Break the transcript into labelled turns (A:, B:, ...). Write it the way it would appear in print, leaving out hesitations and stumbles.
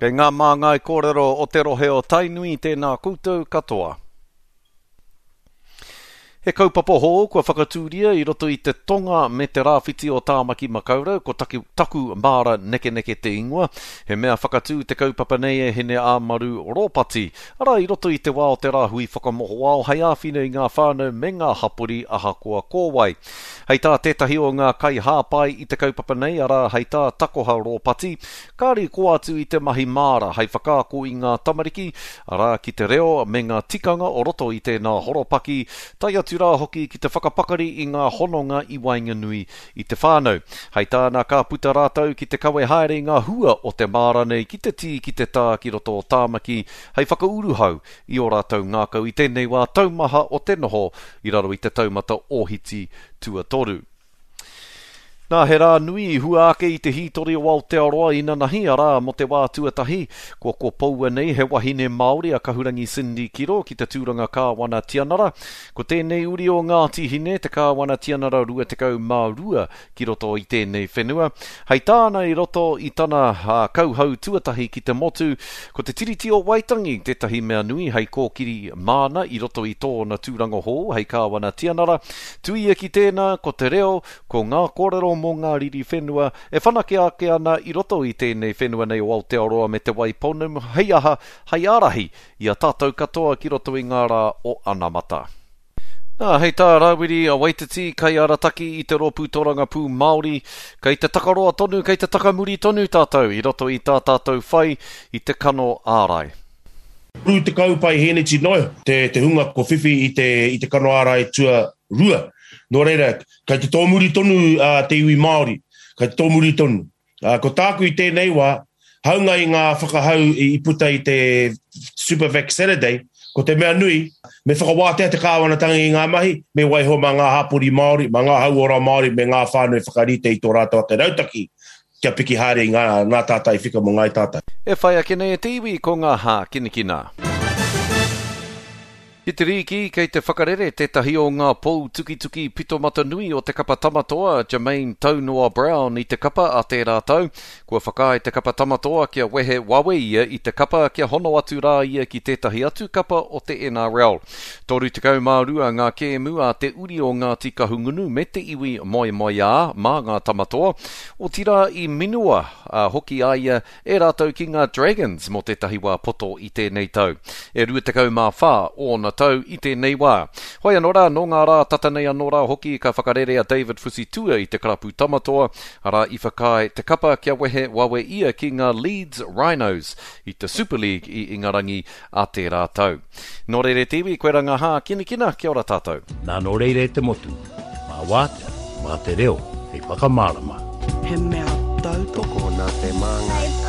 A: Kei ngā māngai kōrero o te rohe o Tainui tēnā koutou katoa. He kaupapa hou kua whakatūria i roto i te tonga me te rāwhiti o Tāmaki Makaurau, ko Taki, Taku Māra Nekeneke te ingoa. He mea whakatū te kaupapa nei e Hine-ā-Maru Ropati, arā i roto i te wā o te rāhui whakamohoao hei āwhina i ngā whānau me ngā hapori ahakoa ko wai. Hei tā tētahi o ngā kaihāpai i te kaupapa nei, arā hei tā Takoha Ropati, Kāre i kō atu i te mahi māra hei whakaako i ngā tamariki, arā, ki te reo me ngā tikanga o roto i tēnā horopaki, tae atu rā hoki ki te whakapakari i ngā hononga i waenganui i te whānau. Hei tāna ka puta rātou ki te kawe haere i ngā hua o te māra nei ki te tī ki te tā ki roto o Tāmaki hei whakauruhau i ō rātou ngākau i tēnei wā taumaha o te noho i raro i te taumata ōhiti tuatoru. Nā, he rā nui i hua ake i te hītori o Aotearoa inanahi, arā, mō te wā tuatahi, kua kopoua nei he wahine Māori a Kahurangi Cindy Kiro ki te tūranga Kāwana Tianara. Ko tēnei uri o Ngāti Hine, te Kāwana Tianara 22 ki roto i tēnei whenua. Hei tāna i roto i tana kauhau tuatahi ki te motu, ko te Tiriti o Waitangi tētahi mea nui hei kōkiri māna i roto i tōna tūranga hou hei Kāwana Tianara. Tuia ki tēnā, ko te reo, ko ngā kōrero mō ngā riri whenua e whanake ake ana i roto i tēnei whenua nei o Aotearoa me Te Waipounamu hei aha, hei ārahi i a tātou katoa ki roto i ngā rā o anamata. Nā, hei tā Rawiri Waititi, kaiarataki i te Rōpū Torangapū Māori, kei te takaroa tonu, kei te takamuri tonu tātou i roto i tā tātou whai i te kano ārai.
B: 30 paihēneti noa iho te, te hunga ko whiwhi i te, i te kano ārai tua rua. Nō reira, kei te tōmuri tonu uh, te iwi Māori, kei te tōmuri tonu. Uh, ko tāku i tēnei wā, haunga i ngā whakahau i, i puta i te Supervac Saturday, ko te mea nui, me whakawātea te kāwanatanga i ngā mahi, me waiho mā ngā hapori Māori, mā ngā hauora Māori me ngā whānau e whakarite i tō rātou ake rautaki kia piki haere i ngā, ngā tātai whika mō ngāi tātai.
A: E whai ake nei e te iwi ko ngā hākinakina. Ki te rīki, kei te whakarere tētahi o ngā pou tukituki pitomata nui o te kapa Tamatoa, Jermaine Taunoa Brown i te kapa a tērā tau. Kua whakaae te kapa Tamatoa kia wehe wawe ia i te kapa kia hono atu rā ia ki tētahi atu kapa o te NRL. 32 ngā kēmu a te uri o Ngāti Kahungunu me te iwi moemoeā mā ngā Tamatoa. Otirā i minua hoki a ia e rātou ki ngā Dragons mō tētahi wā poto i tēnei tau. E 24 ōna tau i tēnei wā. Hoi anō rā, nō ngā rā tata nei anō rā hoki ka whakarere a David Fusitua i te karapu Tamatoa, arā i whakaae te kapa kia wehe wawe ia ki ngā Leeds Rhinos i te Super League i Ingarangi a tērā tau. Nō reira e te iwi, koe rā ngā hākinakina, kia ora tātou.
C: Nā nō reira e te motu, mā wātea, mā te reo hei whakamārama.
D: He mea tautoko
E: nā te Māngai.